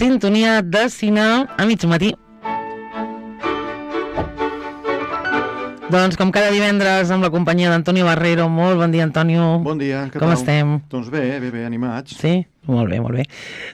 sintonia de cine a mig matí. Doncs com cada divendres amb la companyia d'Antonio Barrero. Molt bon dia, Antonio. Bon dia, què tal? Com estem? Doncs bé, animats. Sí? Molt bé, molt bé.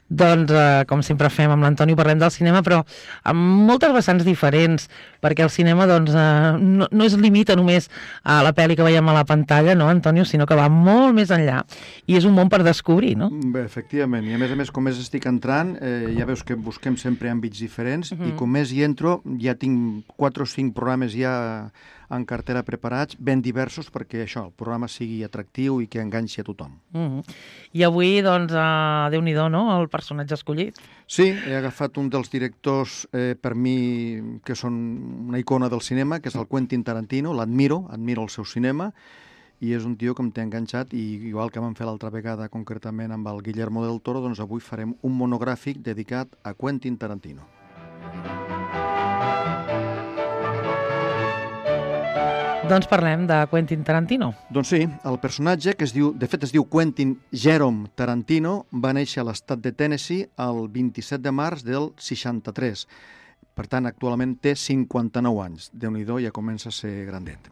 Doncs, com sempre fem amb l'Antonio, parlem del cinema, però amb moltes vessants diferents, perquè el cinema doncs, no es limita només a la pel·li que veiem a la pantalla, no, Antonio, sinó que va molt més enllà. I és un món per descobrir, no? Bé, efectivament. I a més, com més estic entrant, ja veus que busquem sempre àmbits diferents, i com més hi entro, ja tinc 4 o 5 programes ja en cartera preparats, ben diversos, perquè això, el programa sigui atractiu i que enganxi a tothom. I avui, doncs, Déu-n'hi-do, no?, el personatge escollit. Sí, he agafat un dels directors, per mi, que són una icona del cinema, que és el Quentin Tarantino. Admiro el seu cinema, i és un tio que em té enganxat, i igual que vam fer l'altra vegada, concretament amb el Guillermo del Toro, doncs avui farem un monogràfic dedicat a Quentin Tarantino. Doncs parlem de Quentin Tarantino. Doncs sí, el personatge, que de fet es diu Quentin Jerome Tarantino, va néixer a l'estat de Tennessee el 27 de març del 63. Per tant, actualment té 59 anys. Déu-n'hi-do, ja comença a ser grandet.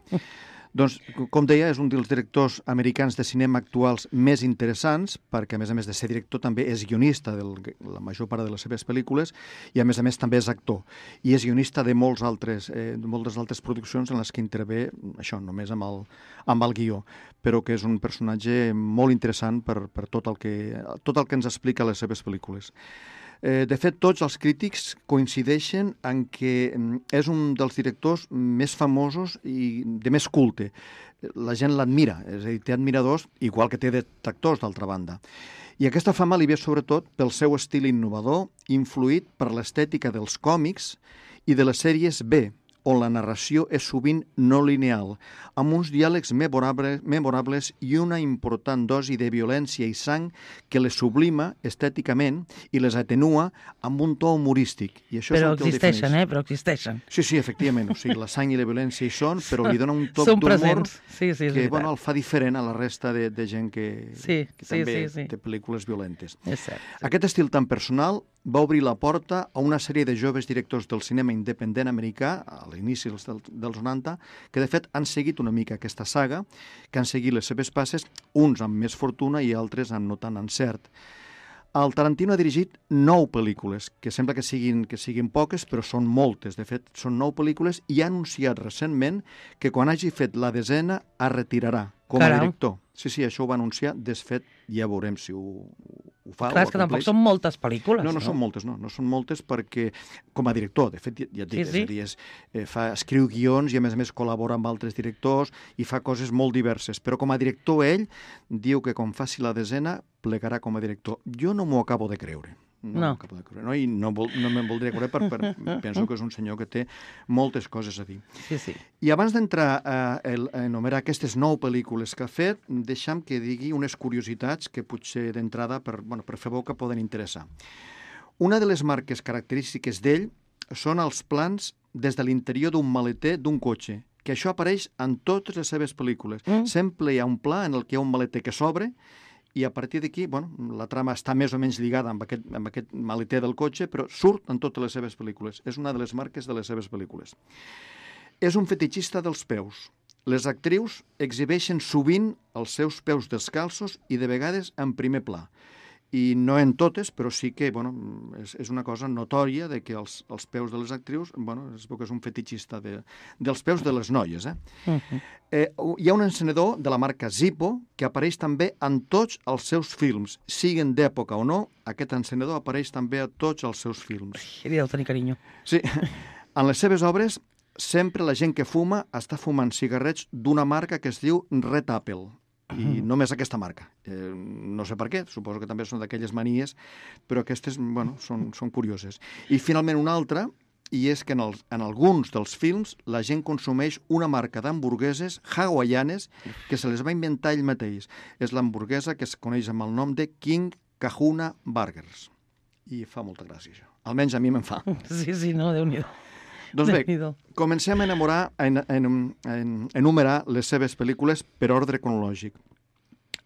Doncs, com deia, és un dels directors americans de cinema actuals més interessants, perquè, a més de ser director, també és guionista de la major part de les seves pel·lícules, i, a més també és actor. I és guionista de moltes altres produccions en les que intervé, això, només amb el guió, però que és un personatge molt interessant per tot el que ens explica a les seves pel·lícules. De fet, tots els crítics coincideixen en que és un dels directors més famosos i de més culte. La gent l'admira, és a dir, té admiradors, igual que té detractors, d'altra banda. I aquesta fama li ve sobretot pel seu estil innovador, influït per l'estètica dels còmics i de les sèries B, on la narració és sovint no lineal, amb uns diàlegs memorables i una important dosi de violència i sang que les sublima estèticament i les atenua amb un to humorístic. I això però és el que existeixen, però existeixen. Sí, efectivament. O sigui, la sang i la violència hi són, però li dona un toc d'humor que el fa diferent a la resta de gent que també té pel·lícules violentes. És cert. Aquest estil tan personal va obrir la porta a una sèrie de joves directors del cinema independent americà, a l'inici dels 90, que de fet han seguit una mica aquesta saga, que han seguit les seves passes, uns amb més fortuna i altres amb no tant encert. El Tarantino ha dirigit 9 pel·lícules, que sembla que siguin poques, però són moltes. De fet, són 9 pel·lícules i ha anunciat recentment que quan hagi fet la 10a es retirarà com a director. Sí, això ho va anunciar. Desfet, ja veurem si ho fa. Clar, és que tampoc són moltes pel·lícules. No són moltes, no són moltes perquè, com a director, de fet, ja et dic, és a dir, escriu guions i a més col·labora amb altres directors i fa coses molt diverses, però com a director ell diu que quan faci la 10a plegarà com a director. Jo no m'ho acabo de creure. No. I no me'n voldria creure perquè penso que és un senyor que té moltes coses a dir. Sí. I abans d'entrar a enumerar aquestes 9 pel·lícules que ha fet, deixa'm que digui unes curiositats que potser d'entrada per fer boca poden interessar. Una de les marques característiques d'ell són els plans des de l'interior d'un maleter d'un cotxe, que això apareix en totes les seves pel·lícules. Sempre hi ha un pla en el que hi ha un maleter que s'obre i a partir d'aquí, la trama està més o menys lligada amb aquest maleter del cotxe, però surt en totes les seves pel·lícules. És una de les marques de les seves pel·lícules. És un fetitxista dels peus. Les actrius exhibeixen sovint els seus peus descalços i de vegades en primer pla. I no en totes, però sí que és una cosa notòria de que els peus de les actrius, es veu que és un fetitxista dels peus de les noies. Hi ha un encenedor de la marca Zippo que apareix també en tots els seus films. Siguin d'època o no, aquest encenedor apareix també a tots els seus films. Li deu tenir carinyo. Sí. En les seves obres, sempre la gent que fuma està fumant cigarrets d'una marca que es diu Red Apple. I només aquesta marca. No sé per què, suposo que també són d'aquelles manies, però aquestes, són curioses. I finalment una altra, i és que en alguns dels films la gent consumeix una marca d'hamburgueses hawaianes que se les va inventar ell mateix. És l'hamburguesa que es coneix amb el nom de King Kahuna Burgers. I fa molta gràcia, això. Almenys a mi me'n fa. Sí, no, Déu-n'hi-do. Doncs bé, comencem a enumerar les seves pel·lícules per ordre cronològic.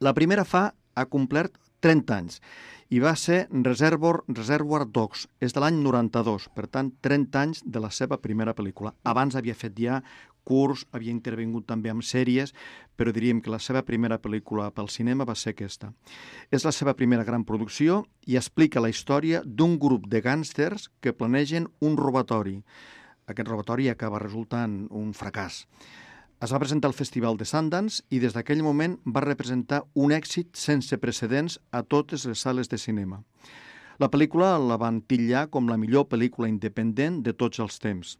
La primera ha complert 30 anys. I va ser Reservoir Dogs, és de l'any 92, per tant, 30 anys de la seva primera pel·lícula. Abans havia fet ja curts, havia intervingut també amb sèries, però diríem que la seva primera pel·lícula pel cinema va ser aquesta. És la seva primera gran producció i explica la història d'un grup de gàngsters que planegen un robatori. Aquest robatori acaba resultant un fracàs. Es va presentar al Festival de Sundance i des d'aquell moment va representar un èxit sense precedents a totes les sales de cinema. La pel·lícula la van titllar com la millor pel·lícula independent de tots els temps.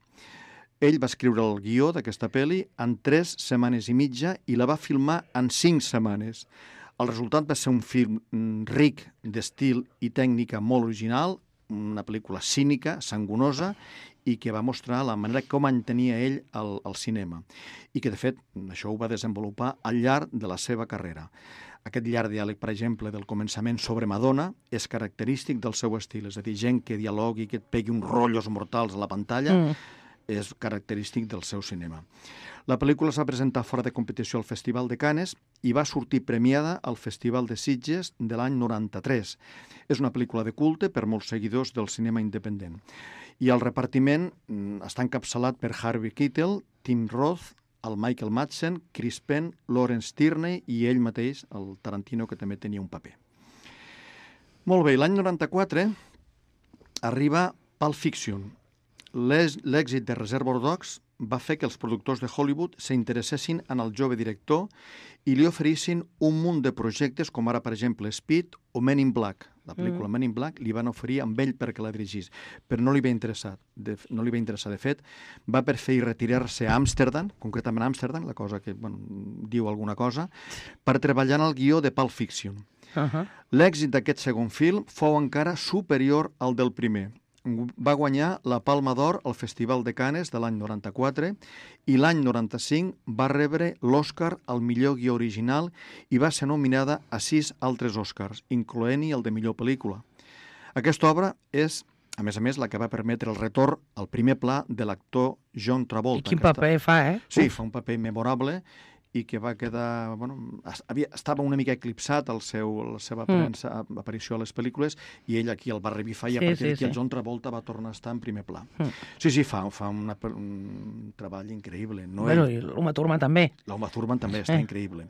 Ell va escriure el guió d'aquesta pel·li en 3 setmanes i mitja i la va filmar en 5 setmanes. El resultat va ser un film ric d'estil i tècnica molt original, una pel·lícula cínica, sangonosa, i que va mostrar la manera com entenia ell el cinema. I que, de fet, això ho va desenvolupar al llarg de la seva carrera. Aquest llarg diàleg, per exemple, del començament sobre Madonna és característic del seu estil. És a dir, gent que dialogui, que et pegui uns rotllos mortals a la pantalla, és característic del seu cinema. La pel·lícula es va presentar fora de competició al Festival de Cannes i va sortir premiada al Festival de Sitges de l'any 93. És una pel·lícula de culte per molts seguidors del cinema independent. I el repartiment està encapçalat per Harvey Keitel, Tim Roth, el Michael Madsen, Chris Penn, Lawrence Tierney i ell mateix, el Tarantino, que també tenia un paper. Molt bé, l'any 94 arriba Pulp Fiction. L'èxit de Reservoir Dogs va fer que els productors de Hollywood s'interessessin en el jove director i li oferissin un munt de projectes, com ara, per exemple, Speed o Men in Black. La pel·lícula Men in Black li van oferir amb ell perquè la dirigís, però no li va interessar. De fet, va preferir retirar-se a Amsterdam, concretament a Amsterdam, la cosa que diu alguna cosa, per treballar en el guió de Pulp Fiction. L'èxit d'aquest segon film fou encara superior al del primer. Va guanyar la Palma d'Or al Festival de Cannes de l'any 94 i l'any 95 va rebre l'Oscar al millor guió original i va ser nominada a 6 altres Oscars, incloent-hi el de millor pel·lícula. Aquesta obra és, a més, la que va permetre el retorn al primer pla de l'actor John Travolta. I quin paper fa, eh? Sí, fa un paper memorable i que va quedar... estava una mica eclipsat la seva aparició a les pel·lícules i ell aquí el va revifar i a partir d'aquí el John Travolta va tornar a estar en primer pla. Sí, fa un treball increïble. I l'Uma Thurman també. L'Uma Thurman també està increïble.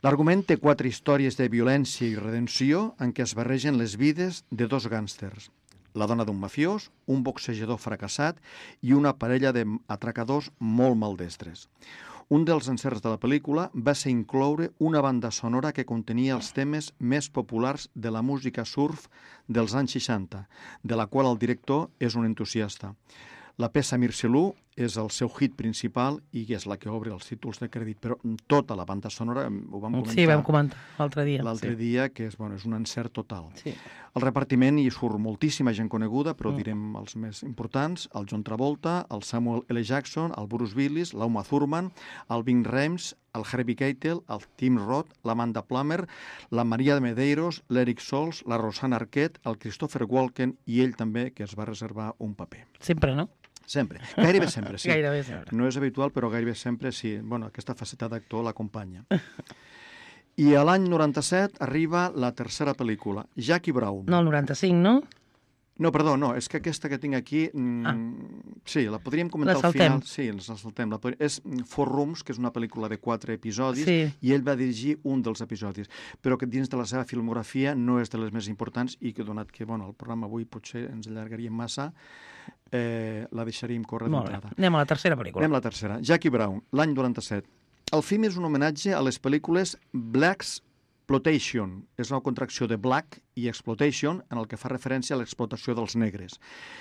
L'argument té 4 històries de violència i redenció en què es barregen les vides de 2 gàngsters. La dona d'un mafiós, un boxejador fracassat i una parella d'atracadors molt maldestres. Un dels encerts de la pel·lícula va ser incloure una banda sonora que contenia els temes més populars de la música surf dels anys 60, de la qual el director és un entusiasta. La peça Mirselú és el seu hit principal i és la que obre els títols de crèdit, però tota la banda sonora ho vam comentar. Sí, vam comentar l'altre dia. L'altre dia, que és un encert total. Sí. El repartiment hi surt moltíssima gent coneguda, però direm els més importants, el John Travolta, el Samuel L. Jackson, el Bruce Willis, l'Uma Thurman, el Ving Rhames, el Harvey Keitel, el Tim Roth, l'Amanda Plummer, la Maria de Medeiros, l'Eric Sols, la Rosanna Arquette, el Christopher Walken i ell també, que es va reservar un paper. Sempre, no? Sempre. Gairebé sempre, sí. Gairebé sempre. No és habitual, però gairebé sempre sí. Aquesta faceta d'actor l'acompanya. I a l'any 97 arriba la tercera pel·lícula, Jackie Brown. No, el 95, no? No, perdó, no, és que aquesta que tinc aquí... Sí, la podríem comentar al final. Sí, la saltem. És Four Rooms, que és una pel·lícula de 4 episodis, i ell va dirigir un dels episodis, però que dins de la seva filmografia no és de les més importants i que, donat que el programa avui potser ens allargaríem massa, la deixaríem córrer d'entrada. Anem a la tercera pel·lícula. Anem a la tercera. Jackie Brown, l'any 97. El film és un homenatge a les pel·lícules Blaxploitation. És una contracció de Black i Exploitation en el que fa referència a l'explotació dels negres.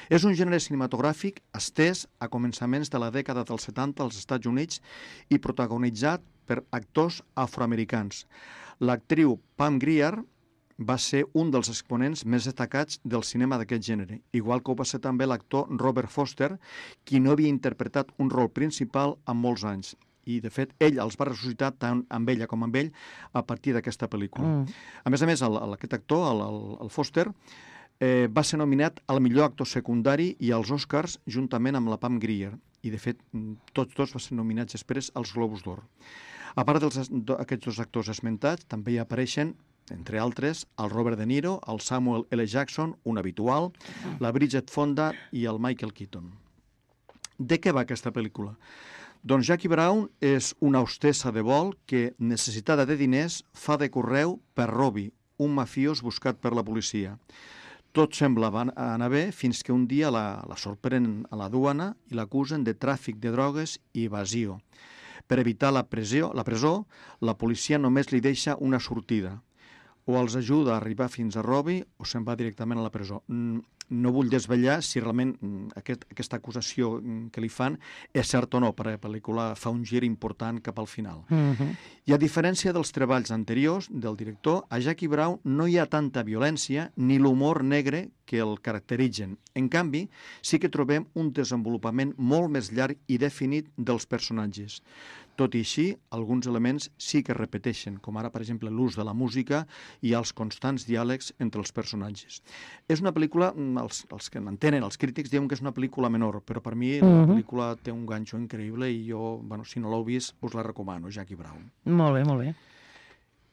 És un gènere cinematogràfic estès a començaments de la dècada dels 70 als Estats Units i protagonitzat per actors afroamericans. L'actriu Pam Grier va ser un dels exponents més destacats del cinema d'aquest gènere, igual que ho va ser també l'actor Robert Foster, qui no havia interpretat un rol principal en molts anys. I, de fet, ell els va ressuscitar tant amb ella com amb ell a partir d'aquesta pel·lícula. A més, aquest actor, el Foster, va ser nominat al millor actor secundari i als Oscars juntament amb la Pam Grier. I, de fet, tots dos van ser nominats després als Globus d'Or. A part d'aquests 2 actors esmentats, també hi apareixen entre altres, el Robert De Niro, el Samuel L. Jackson, un habitual, la Bridget Fonda i el Michael Keaton. De què va aquesta pel·lícula? Doncs Jackie Brown és una hostessa de vol que, necessitada de diners, fa de correu per Robbie, un mafiós buscat per la policia. Tot sembla anar bé fins que un dia la sorprenen a la duana i l'acusen de tràfic de drogues i evasió. Per evitar la presó, la policia només li deixa una sortida. O els ajuda a arribar fins a Robbie o se'n va directament a la presó. No vull desvetllar si realment aquesta acusació que li fan és cert o no, perquè la pel·lícula fa un gir important cap al final. I a diferència dels treballs anteriors del director, a Jackie Brown no hi ha tanta violència ni l'humor negre que el caracteritzen. En canvi, sí que trobem un desenvolupament molt més llarg i definit dels personatges. Tot i així, alguns elements sí que es repeteixen, com ara, per exemple, l'ús de la música i els constants diàlegs entre els personatges. És una pel·lícula, els que m'entenen, els crítics, diuen que és una pel·lícula menor, però per mi la pel·lícula té un ganxo increïble i jo, si no l'heu vist, us la recomano, Jackie Brown. Molt bé, molt bé.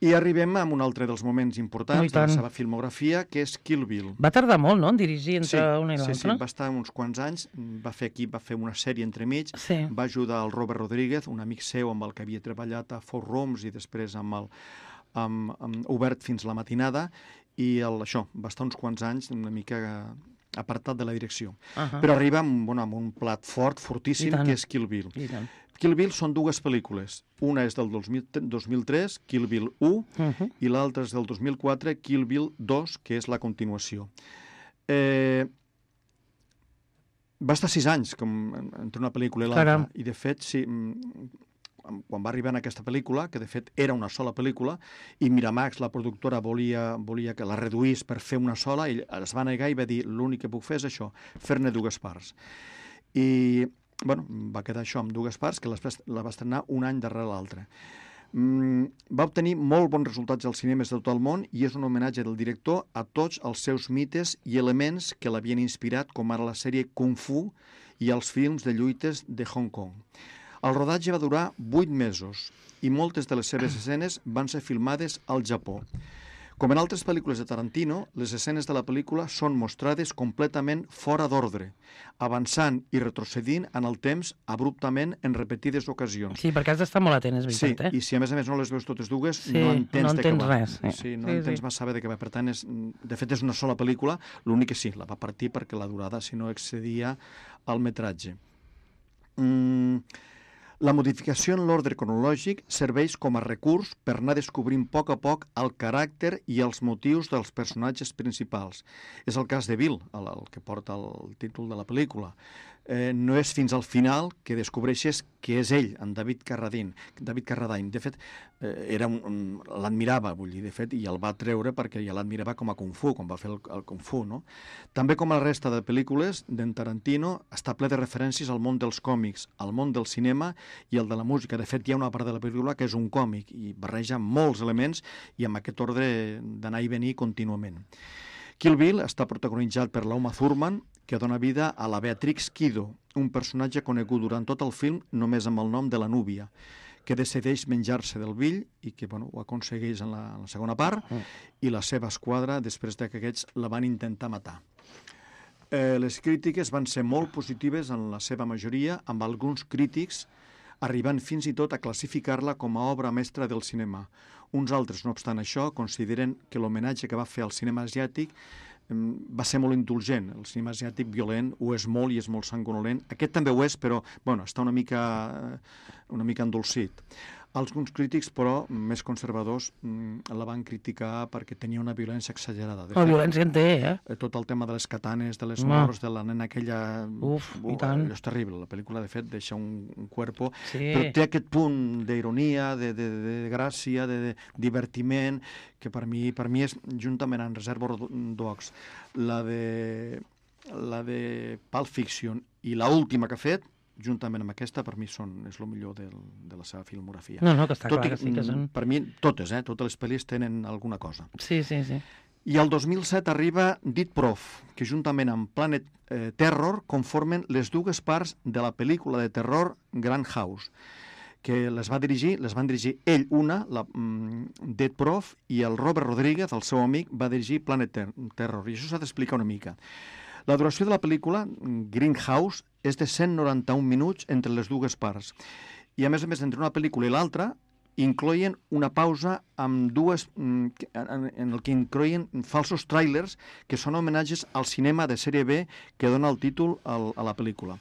I arribem a un altre dels moments importants de la seva filmografia, que és Kill Bill. Va tardar molt, no?, en dirigir entre una i l'altra. Sí, va estar uns quants anys, va fer una sèrie entremig, va ajudar el Robert Rodríguez, un amic seu amb el que havia treballat a Four Rooms i després amb Obert fins la matinada, i això, va estar uns quants anys una mica apartat de la direcció. Però arriba amb un plat fortíssim, que és Kill Bill. Kill Bill són dues pel·lícules. Una és del 2003, Kill Bill 1, i l'altra és del 2004, Kill Bill 2, que és la continuació. Va estar 6 anys entre una pel·lícula i l'altra, i de fet, sí, quan va arribar en aquesta pel·lícula, que de fet era una sola pel·lícula, i Miramax, la productora, volia que la reduís per fer una sola, ell es va negar i va dir, l'únic que puc fer és això, fer-ne dues parts. I va quedar això amb dues parts, que la va estrenar un any darrere l'altre. Va obtenir molt bons resultats als cinemes de tot el món i és un homenatge del director a tots els seus mites i elements que l'havien inspirat, com ara la sèrie Kung Fu i els films de lluites de Hong Kong. El rodatge va durar 8 mesos i moltes de les seves escenes van ser filmades al Japó. Com en altres pel·lícules de Tarantino, les escenes de la pel·lícula són mostrades completament fora d'ordre, avançant i retrocedint en el temps abruptament en repetides ocasions. Sí, perquè has d'estar molt atent, és veritat, Sí, i si a més no les veus totes dues, no entens de què va. Res. Sí, no entens massa bé de què va. Per tant, de fet, és una sola pel·lícula, l'únic que sí, la va partir perquè la durada, si no, excedia el metratge. La modificació en l'ordre cronològic serveix com a recurs per anar descobrint a poc el caràcter i els motius dels personatges principals. És el cas de Bill, el que porta el títol de la pel·lícula. No és fins al final que descobreixes que és ell, en David Carradine. De fet, l'admirava, vull dir, de fet, i el va treure perquè ja l'admirava com a Kung Fu, quan va fer el Kung Fu, no? També com la resta de pel·lícules d'en Tarantino, està ple de referències al món dels còmics, al món del cinema i el de la música. De fet, hi ha una part de la pel·lícula que és un còmic i barreja molts elements i amb aquest ordre d'anar i venir contínuament. Kill Bill està protagonitzat per l'Uma Thurman, que dona vida a la Beatrix Kiddo, un personatge conegut durant tot el film només amb el nom de la núvia, que decideix menjar-se del Bill i que ho aconsegueix en la segona part, i la seva esquadra després que aquests la van intentar matar. Les crítiques van ser molt positives en la seva majoria, amb alguns crítics arribant fins i tot a classificar-la com a obra mestra del cinema. Uns altres, no obstant això, consideren que l'homenatge que va fer al cinema asiàtic va ser molt indulgent. El cinema asiàtic violent ho és molt i és molt sanguinolent. Aquest també ho és, però està una mica endolcit. Alguns crítics, però, més conservadors, la van criticar perquè tenia una violència exagerada. La violència en té, Tot el tema de les katanes, de les morts, de la nena aquella... I tant. És terrible. La pel·lícula, de fet, deixa un cuerpo... Però té aquest punt d'ironia, de gràcia, de divertiment, que per mi és, juntament amb Reservoir Dogs, la de Pulp Fiction i l'última que ha fet, juntament amb aquesta, per mi és el millor de la seva filmografia. No, que està clar que sí que són... Per mi, totes les pel·lis tenen alguna cosa. Sí. I el 2007 arriba Dead Prof, que juntament amb Planet Terror conformen les dues parts de la pel·lícula de terror Grand House, que les van dirigir ell Dead Prof, i el Robert Rodríguez, el seu amic, va dirigir Planet Terror, i això s'ha d'explicar una mica. La duració de la pel·lícula, Greenhouse, és de 191 minuts entre les dues parts, i a més, entre una pel·lícula i l'altra, incloïen una pausa amb en el que incloïen falsos tràilers que són homenatges al cinema de sèrie B que dona el títol a la pel·lícula.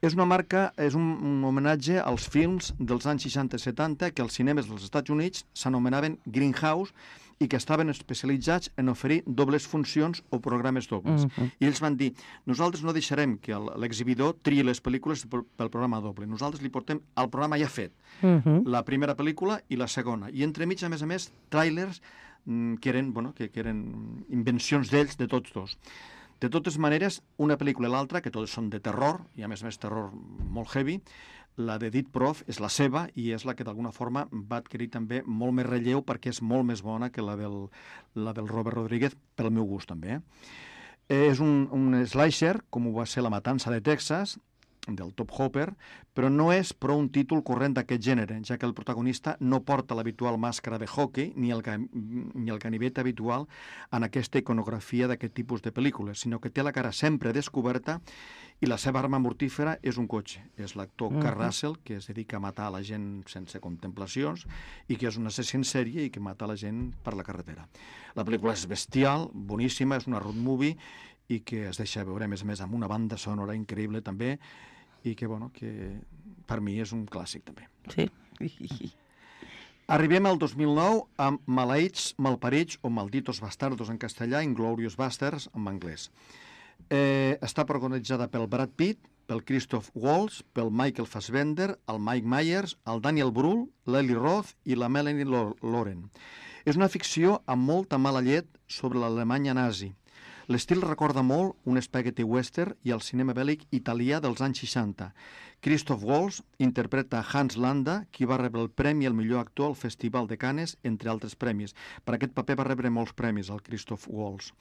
És un homenatge als films dels anys 60 i 70 que als cinemes dels Estats Units s'anomenaven Greenhouse i que estaven especialitzats en oferir dobles funcions o programes dobles. I ells van dir, nosaltres no deixarem que l'exhibidor triï les pel·lícules pel programa doble. Nosaltres li portem el programa ja fet, la primera pel·lícula i la segona. I entremig, a més, tràilers que eren invencions d'ells, de tots dos. De totes maneres, una pel·lícula i l'altra, que totes són de terror, i a més terror molt heavy, la de Dead Prof és la seva i és la que d'alguna forma va adquirir també molt més relleu perquè és molt més bona que la del Robert Rodríguez, pel meu gust també. És un slasher, com ho va ser La matança de Texas, del Top Hopper, però no és prou un títol corrent d'aquest gènere, ja que el protagonista no porta l'habitual màscara de hockey ni el ganivet habitual en aquesta iconografia d'aquest tipus de pel·lícules, sinó que té la cara sempre descoberta i la seva arma mortífera és un cotxe. És l'actor Kurt Russell, que es dedica a matar la gent sense contemplacions i que és un assassí en sèrie i que mata la gent per la carretera. La pel·lícula és bestial, boníssima, és una road movie i que es deixa veure, a més, amb una banda sonora increïble també, i que per mi és un clàssic també. Sí. Arribem al 2009 amb Maleïts, Malparits o Malditos Bastardos en castellà, Inglorious Bastards en anglès. Està protagonitzada pel Brad Pitt, pel Christoph Waltz, pel Michael Fassbender, el Mike Myers, el Daniel Brühl, l'Eli Roth i la Melanie Laurent. És una ficció amb molta mala llet sobre l'Alemanya nazi. L'estil recorda molt un spaghetti western i el cinema bèl·lic italià dels anys 60. Christoph Waltz interpreta Hans Landa, qui va rebre el premi al millor actor al Festival de Cannes, entre altres premis. Per aquest paper va rebre molts premis, el Christoph Waltz.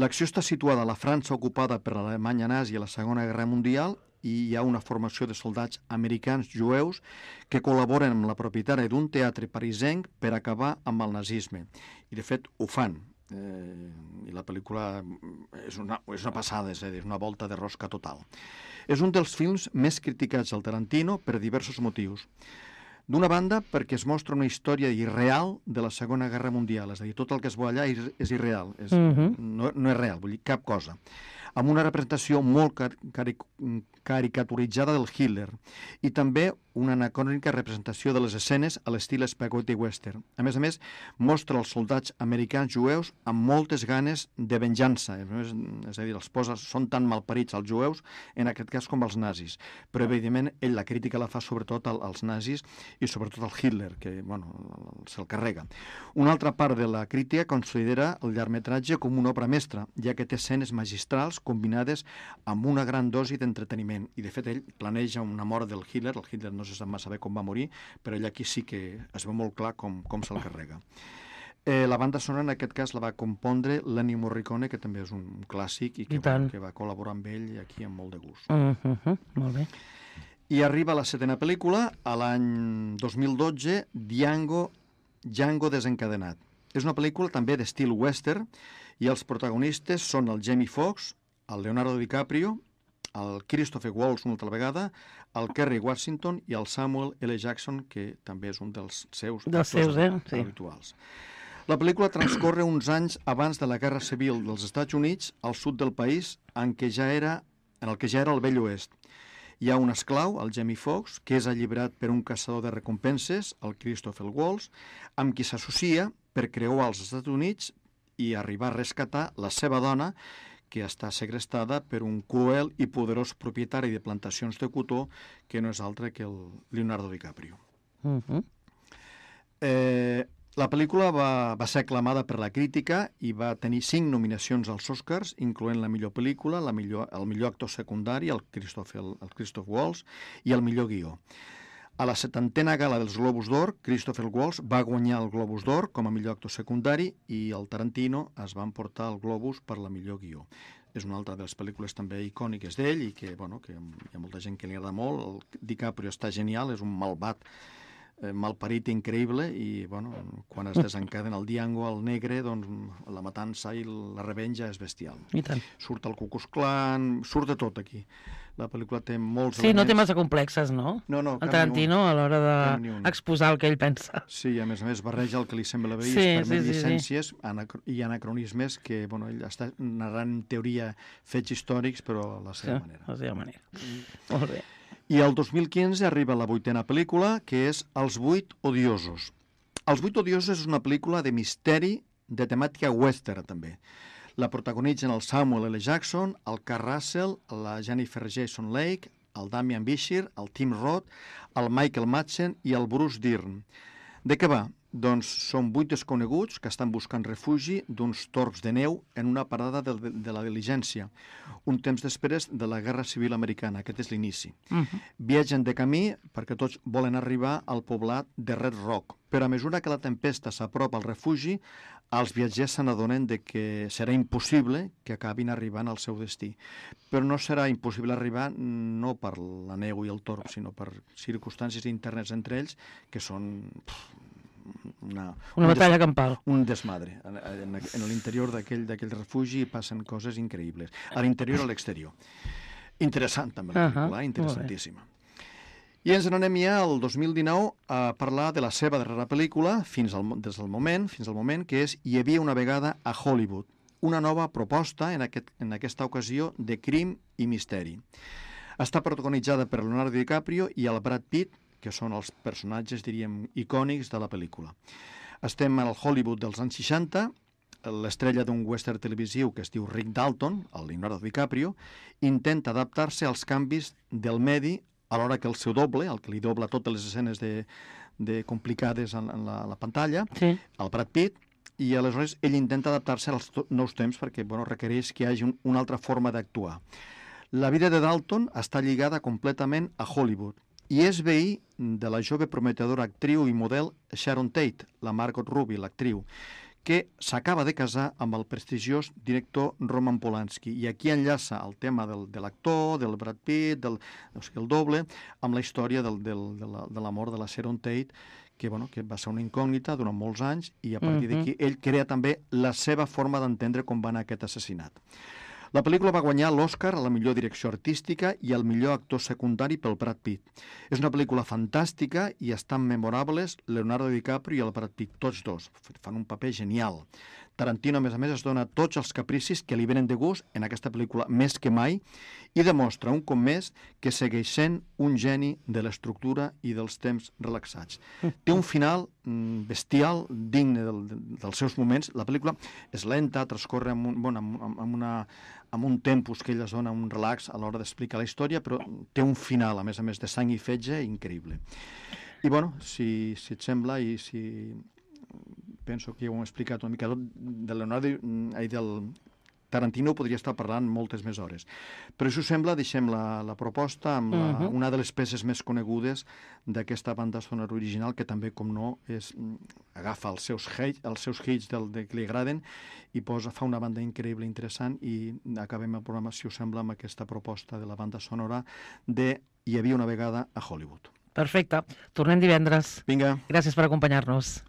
L'acció està situada a la França ocupada per l'Alemanya nazi a la Segona Guerra Mundial i hi ha una formació de soldats americans jueus que col·laboren amb la propietària d'un teatre parisenc per acabar amb el nazisme. I, de fet, ho fan. I la pel·lícula és una passada, és a dir, una volta de rosca total. És un dels films més criticats del Tarantino per diversos motius. D'una banda, perquè es mostra una història irreal de la Segona Guerra Mundial, és a dir, tot el que es veu allà és irreal, no és real, vull dir, cap cosa. Amb una representació molt caricaturitzada del Hitler i també una anacrònica representació de les escenes a l'estil spaghetti western. A més, mostra els soldats americans jueus amb moltes ganes de venjança. És a dir, són tan malparits els jueus, en aquest cas com els nazis. Però, evidentment, ell la crítica la fa sobretot als nazis i sobretot al Hitler, que, se'l carrega. Una altra part de la crítica considera el llargmetratge com una obra mestra, ja que té escenes magistrals combinades amb una gran dosi d'entreteniment. I, de fet, ell planeja una mort del Hitler. El Hitler no se sap massa bé com va morir, però ell aquí sí que es veu molt clar com se'l carrega. La banda sonora, en aquest cas, la va compondre Lenny Morricone, que també és un clàssic i que va col·laborar amb ell aquí amb molt de gust. Molt bé. I arriba la setena pel·lícula, a l'any 2012, Django desencadenat. És una pel·lícula també d'estil western i els protagonistes són el Jamie Foxx, el Leonardo DiCaprio, el Christopher Waltz una altra vegada, el Kerry Washington i el Samuel L. Jackson, que també és un dels seus habituals. La pel·lícula transcorre uns anys abans de la Guerra Civil dels Estats Units al sud del país, en el que ja era el vell oest. Hi ha un esclau, el Jamie Foxx, que és alliberat per un caçador de recompenses, el Christopher Waltz, amb qui s'associa per creuar els Estats Units i arribar a rescatar la seva dona, que està segrestada per un cruel i poderós propietari de plantacions de cotó que no és altre que el Leonardo DiCaprio. La pel·lícula va ser aclamada per la crítica i va tenir 5 nominacions als Oscars, incloent la millor pel·lícula, el millor actor secundari, el Christoph Waltz, i el millor guió. A la 70a gala dels Globus d'Or, Christopher Waltz va guanyar el Globus d'Or com a millor actor secundari i el Tarantino es va emportar el Globus per la millor guió. és una altra de les pel·lícules també icòniques d'ell i que, bueno, que hi ha molta gent que li agrada molt. El DiCaprio està genial, és un malvat malparit increïble i, bueno, quan es desencadena el Django, el negre, doncs la matança i la revenja és bestial. I tant. Surt el Ku Klux Klan, surt de tot aquí. La pel·lícula té molts Sí, no té elements. massa complexes, no? No, El Tarantino a l'hora d'exposar el que ell pensa. Sí, a més barreja el que li sembla bé i Sí, es permet sí. llicències i anacronismes que, bueno, ell està narrant en teoria fets històrics, però a la seva manera. A la seva manera. Molt bé. I el 2015 arriba la 8ª pel·lícula, que és Els 8 odiosos. Els 8 odiosos és una pel·lícula de misteri de temàtica western, també. La protagonitzen el Samuel L. Jackson, el Kurt Russell, la Jennifer Jason Leigh, el Damian Bichir, el Tim Roth, el Michael Madsen i el Bruce Dern. De què va? Doncs són 8 desconeguts que estan buscant refugi d'uns tords de neu en una parada de la diligència, un temps després de la Guerra Civil Americana. Aquest és l'inici. Viatgen de camí perquè tots volen arribar al poblat de Red Rock, però a mesura que la tempesta s'apropa al refugi, els viatgers se n'adonen que serà impossible que acabin arribant al seu destí. Però no serà impossible arribar no per la neu i el torb, sinó per circumstàncies internes entre ells que són una batalla campal. Un desmadre. En l'interior d'aquell refugi passen coses increïbles. A l'interior i a l'exterior. Interessant també la pel·lícula, interessantíssima. I ens n'anem ja al 2019 a parlar de la seva darrera pel·lícula, fins al moment, que és Hi havia una vegada a Hollywood, una nova proposta, en aquesta ocasió, de crim i misteri. Està protagonitzada per Leonardo DiCaprio i el Brad Pitt, que són els personatges, diríem, icònics de la pel·lícula. Estem al Hollywood dels anys 60, l'estrella d'un western televisiu que es diu Rick Dalton, el Leonardo DiCaprio, intenta adaptar-se als canvis del medi alhora que el seu doble, el que li dobla totes les escenes complicades en la pantalla, el Brad Pitt, i aleshores ell intenta adaptar-se als nous temps perquè requereix que hi hagi una altra forma d'actuar. La vida de Dalton està lligada completament a Hollywood i és veí de la jove prometedora actriu i model Sharon Tate, la Margot Robbie, l'actriu, que s'acaba de casar amb el prestigiós director Roman Polanski. I aquí enllaça el tema de l'actor, del Brad Pitt, el doble, amb la història de l'amor de la Sharon Tate, que va ser una incògnita durant molts anys, i a partir d'aquí ell crea també la seva forma d'entendre com va anar aquest assassinat. La pel·lícula va guanyar l'Oscar a la millor direcció artística i al millor actor secundari pel Brad Pitt. És una pel·lícula fantàstica i estan memorables Leonardo DiCaprio i el Brad Pitt, tots dos. Fan un paper genial. Tarantino, a més, es dona tots els capricis que li venen de gust en aquesta pel·lícula més que mai i demostra un cop més que segueix sent un geni de l'estructura i dels temps relaxats. Té un final bestial, digne dels seus moments. La pel·lícula és lenta, transcorre amb un tempus que ell es dona un relax a l'hora d'explicar la història, però té un final, a més, de sang i fetge increïble. I, si et sembla, i si penso que ja ho hem explicat una mica tot, del Tarantino podria estar parlant moltes més hores. Però si us sembla, deixem la proposta amb una de les peces més conegudes d'aquesta banda sonora original, que també, com no, agafa els seus hits que li agraden i fa una banda increïble, interessant, i acabem el programa, si us sembla, amb aquesta proposta de la banda sonora de Hi havia una vegada a Hollywood. Perfecte. Tornem divendres. Vinga. Gràcies per acompanyar-nos.